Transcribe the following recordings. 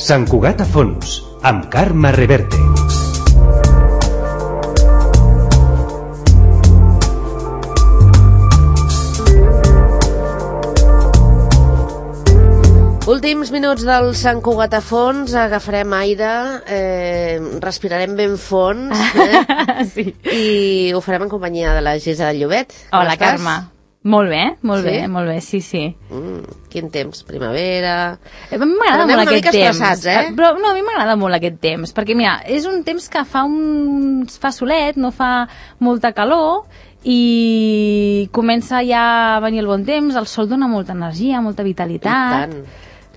Sant Cugat a fons, amb Carme Reverte. Últims minuts del Sant Cugat a fons, agafarem aire, respirarem ben fons, Sí. I ho farem en companyia de la Gisela Llobet. Hola, Carme. Molt bé, sí. Quin temps, primavera... A mi m'agrada molt aquest temps. Estressats, Però no, a mi m'agrada molt aquest temps, perquè mira, és un temps que fa solet, no fa molta calor, i comença ja a venir el bon temps, el sol dona molta energia, molta vitalitat. I tant.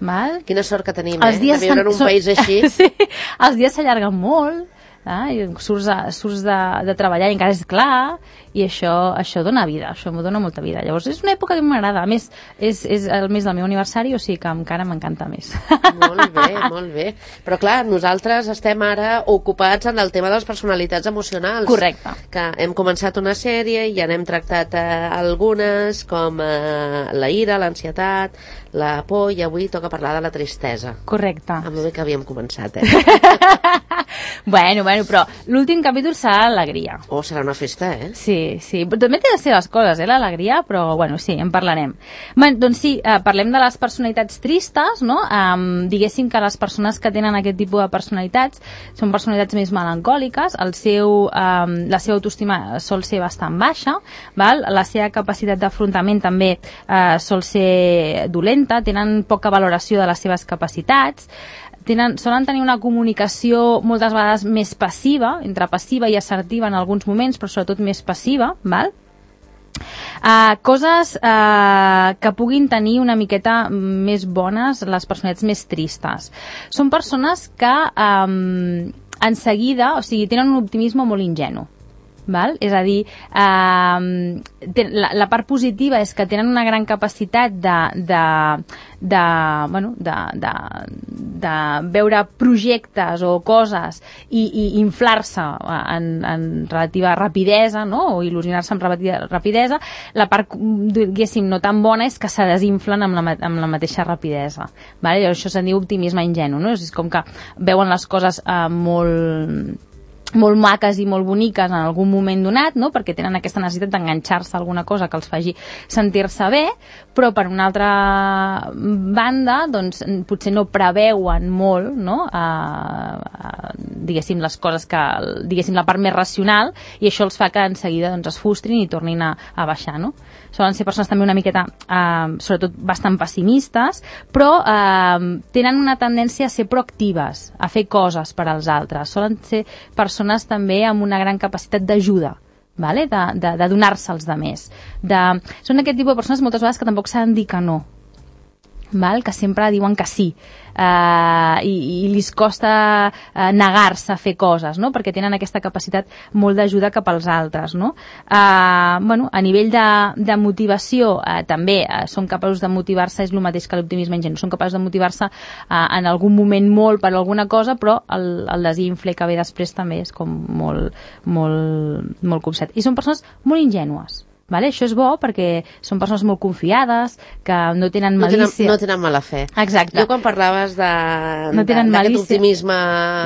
Val? Quina sort que tenim, de viure en un país així. Sí, els dies s'allarguen molt, i surts de treballar i encara és clar, i això dona vida, això m'ho dona molta vida. Llavors és una època que m'agrada, a més és el mes del meu aniversari, o sigui que encara m'encanta més. Molt bé. Però clar, nosaltres estem ara ocupats en el tema de les personalitats emocionals. Correcte. Que hem començat una sèrie i ja n'hem tractat algunes, com la ira, l'ansietat, la por, i avui toca parlar de la tristesa. Correcte. Amb el bé que havíem començat, Bueno, però l'últim capítol serà l'alegria. Oh, serà una festa, Sí, però també té les seves coses, l'alegria, però bueno, sí, en parlarem. Doncs sí, parlem de les personalitats tristes, no? Diguéssim que les persones que tenen aquest tipus de personalitats són personalitats més melancòliques, la seva autoestima sol ser bastant baixa, val? La seva capacitat d'afrontament també sol ser dolenta, tenen poca valoració de les seves capacitats, solen tenir una comunicació moltes vegades més passiva, entre passiva i assertiva en alguns moments, però sobretot més passiva, val? Coses que puguin tenir una miqueta més bones les personalitats més tristes. Són persones que en seguida, o sigui, tenen un optimisme molt ingenu. Val? És a dir, la part positiva és que tenen una gran capacitat de veure projectes o coses i inflar-se en relativa rapidesa, no? O il·lusionar-se amb rapidesa. La part, diguéssim, no tan bona és que se desinflen amb la mateixa rapidesa. Val? Això se'n diu optimisme ingenu, no? És com que veuen les coses molt maques i molt boniques en algun moment donat, no? Perquè tenen aquesta necessitat d'enganxar-se a alguna cosa que els faci sentir-se bé, però per una altra banda doncs, potser no preveuen molt, no? Diguéssim, les coses diguéssim, la part més racional, i això els fa que en seguida doncs, es frustrin i tornin a baixar, no? Solen ser persones també una miqueta, sobretot bastant pessimistes, però tenen una tendència a ser proactives, a fer coses per als altres. Solen ser persones també amb una gran capacitat d'ajuda, vale? De donar-se als altres. Són aquest tipus de persones moltes vegades que tampoc saben dir que no, val? Que sempre diuen que sí, i li costa negar-se a fer coses, no? Perquè tenen aquesta capacitat molt d'ajuda cap als altres, no? A nivell de motivació també són capaços de motivar-se, és el mateix que l'optimisme ingenu, són capaços de motivar-se en algun moment molt per alguna cosa, però el desinfle que ve després també és com molt copsat. I són persones molt ingènues. Vale? Això és bo perquè són persones molt confiades, que no tenen malícia. No tenen mala fe. Exacte. Jo quan parlaves d'aquest optimisme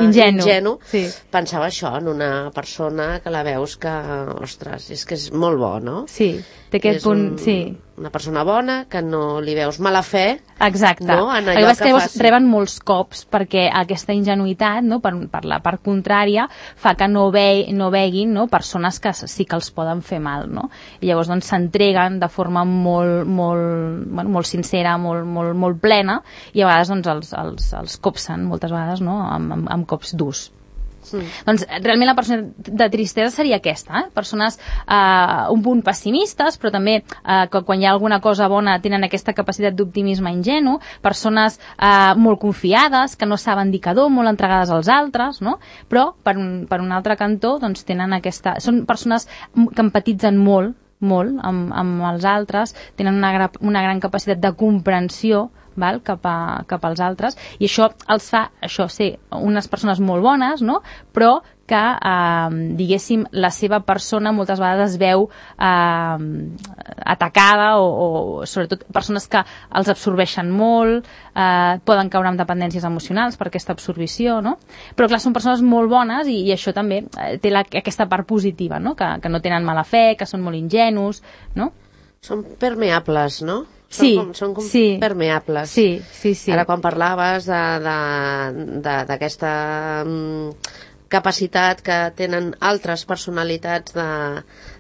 ingenu, sí, pensava això, en una persona que la veus que, ostres, és que és molt bo, no? Sí, té aquest punt, sí. Una persona bona, que no li veus mala fe. Exacte. No? En allò que reben molts cops perquè aquesta ingenuïtat, no? per la part contrària, fa que no veguin, no? Persones que sí que els poden fer mal, no? I llavors doncs s'entreguen de forma molt sincera, molt plena, i a vegades doncs els copsen moltes vegades, no? amb cops durs. Doncs realment la persona de tristesa seria aquesta, persones un punt pessimistes, però també que quan hi ha alguna cosa bona tenen aquesta capacitat d'optimisme ingenu, persones molt confiades, que no saben dir que no, molt entregades als altres, no? Però per un altre cantó doncs tenen són persones que empatitzen molt amb els altres, tenen una gran capacitat de comprensió, val? Cap als altres, i això els fa ser unes persones molt bones, no? Però que, diguéssim, la seva persona moltes vegades es veu atacada o sobretot persones que els absorbeixen molt, poden caure en dependències emocionals per aquesta absorbició, no? Però clar, són persones molt bones i això també té aquesta part positiva, no? Que no tenen mala fe, que són molt ingenus, no? Són permeables, no? Són com permeables. Sí. Ara, quan parlaves d'aquesta capacitat que tenen altres personalitats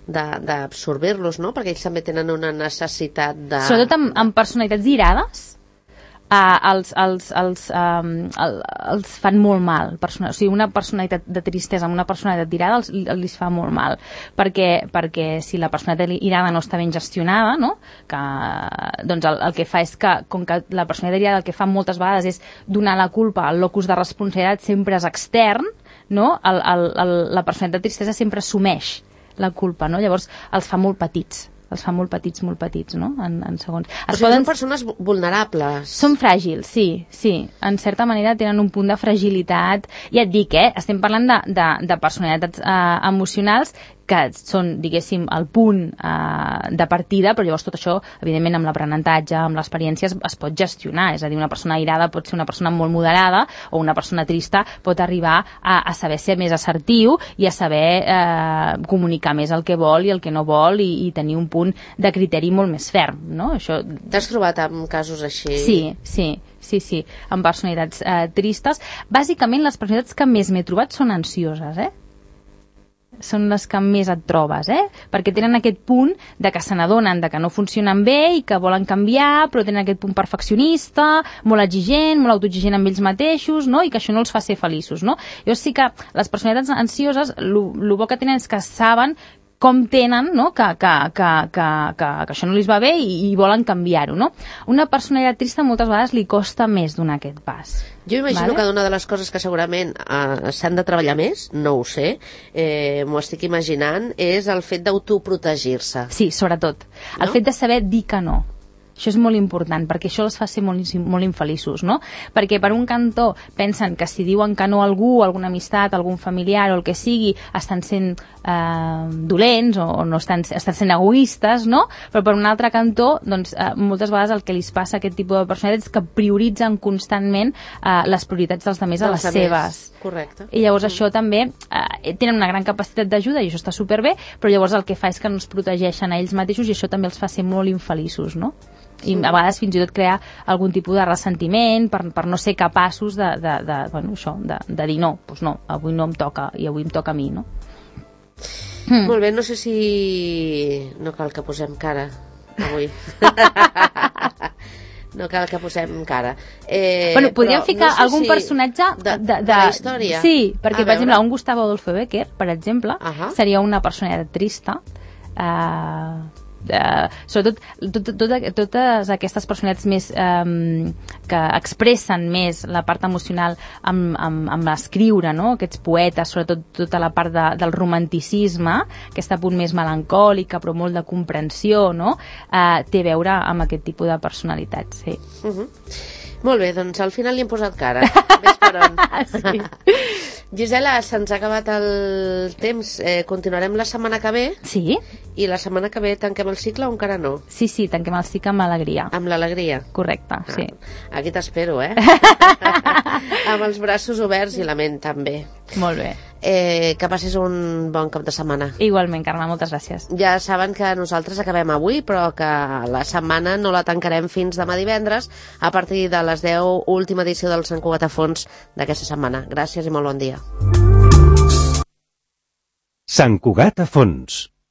d'absorbir-los, no? Perquè ells també tenen una necessitat de... Sobretot amb personalitats irades, els fan molt mal. O sigui, una personalitat de tristesa amb una personalitat irada els fa molt mal, perquè si la personalitat irada no està ben gestionada, no? Doncs el que fa és que, com que la personalitat irada el que fa moltes vegades és donar la culpa, el locus de responsabilitat sempre és extern, no? La personalitat de tristesa sempre assumeix la culpa, no? Llavors els fa molt petits, molt petits, no? En segons. Són persones vulnerables. Són fràgils, sí. En certa manera tenen un punt de fragilitat. Ja et dic, estem parlant de personalitats emocionals que són, diguéssim, el punt de partida, però llavors tot això, evidentment, amb l'aprenentatge, amb l'experiència, es pot gestionar. És a dir, una persona airada pot ser una persona molt moderada o una persona trista pot arribar a saber ser més assertiu i a saber comunicar més el que vol i el que no vol i tenir un punt de criteri molt més ferm, no? Això... T'has trobat amb casos així? Sí, amb personalitats tristes. Bàsicament, les personalitats que més m'he trobat són ansioses, són les que més et trobes, perquè tenen aquest punt de que se n'adonen de que no funcionen bé i que volen canviar, però tenen aquest punt perfeccionista, molt exigent, molt autoexigent amb ells mateixos, no? I que això no els fa ser feliços, no? Llavors sí que les personalitats ansioses, el bo que tenen és que saben com tenen, no? que això no li va bé i volen canviar-ho, no? Una personalitat trista moltes vegades li costa més donar aquest pas. Jo imagino que una de les coses que segurament s'han de treballar més, no ho sé, m'ho estic imaginant, és el fet d'autoprotegir-se. Sí, sobretot. El fet de saber dir que no. Això és molt important, perquè això els fa ser molt infeliços, no? Perquè per un cantó pensen que si diuen que no a algú, alguna amistat, algun familiar o el que sigui, estan sent dolents o no estan sent egoistes, no? Però per un altre cantó, doncs, moltes vegades el que li passa a aquest tipus de personalitats és que prioritzen constantment les prioritats dels altres a les seves. Correcte. I llavors això també tenen una gran capacitat d'ajuda i això està superbé, però llavors el que fa és que no es protegeixen a ells mateixos i això també els fa ser molt infeliços, no? I a vegades fins i tot crear algun tipus de ressentiment per no ser capaços de dir no, doncs no, avui no em toca i avui em toca a mi, no? Molt bé, no sé si no cal que posem cara avui. No cal que posem cara. Podríem ficar algun personatge de la història. Sí, perquè per exemple un Gustavo Adolfo Bécquer, per exemple, seria una personalitat trista, sobretot totes aquestes personalitats més que expressen més la part emocional amb l'escriure, no? Aquests poetes, sobretot tota la part del romanticisme, aquest punt més melancòlica però molt de comprensió, no? Té a veure amb aquest tipus de personalitats, sí. Molt bé, doncs al final li hem posat cara. Ves per on. Sí. Gisela, se'ns ha acabat el temps. Continuarem la setmana que ve. Sí. I la setmana que ve tanquem el cicle o encara no? Sí, tanquem el cicle amb alegria. Amb l'alegria? Correcte, sí. Aquí t'espero, amb els braços oberts i la ment també. Molt bé. Que passis un bon cap de setmana. Igualment, Carme, moltes gràcies. Ja saben que nosaltres acabem avui, però que la setmana no la tancarem fins demà divendres a partir de les 10, última edició del Sant Cugat a Fons d'aquesta setmana. Gràcies i molt bon dia. Sant Cugat a Fons.